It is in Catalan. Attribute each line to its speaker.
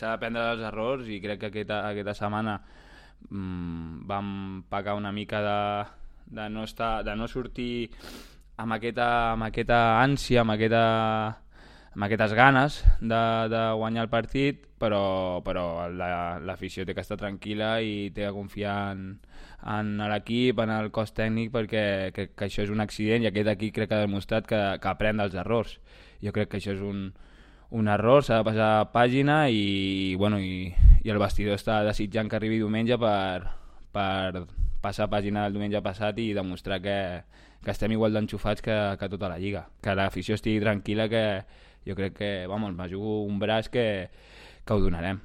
Speaker 1: S'ha d'aprendre dels errors i crec que aquesta setmana vam pecar una mica de no sortir amb aquesta ànsia, amb aquestes ganes de guanyar el partit, però l'afició té que estar tranquil·la i té que confiar en l'equip, en el cos tècnic, perquè que això és un accident i aquest equip crec que ha demostrat que aprèn dels errors. Jo crec que això és un error, s'ha de passar pàgina i el vestidor està desitjant que arribi diumenge per passar pàgina del diumenge passat i demostrar que estem igual d'enxufats que tota la lliga. Que l'afició estigui tranquil·la, que jo crec que, me jugo un braç que ho donarem.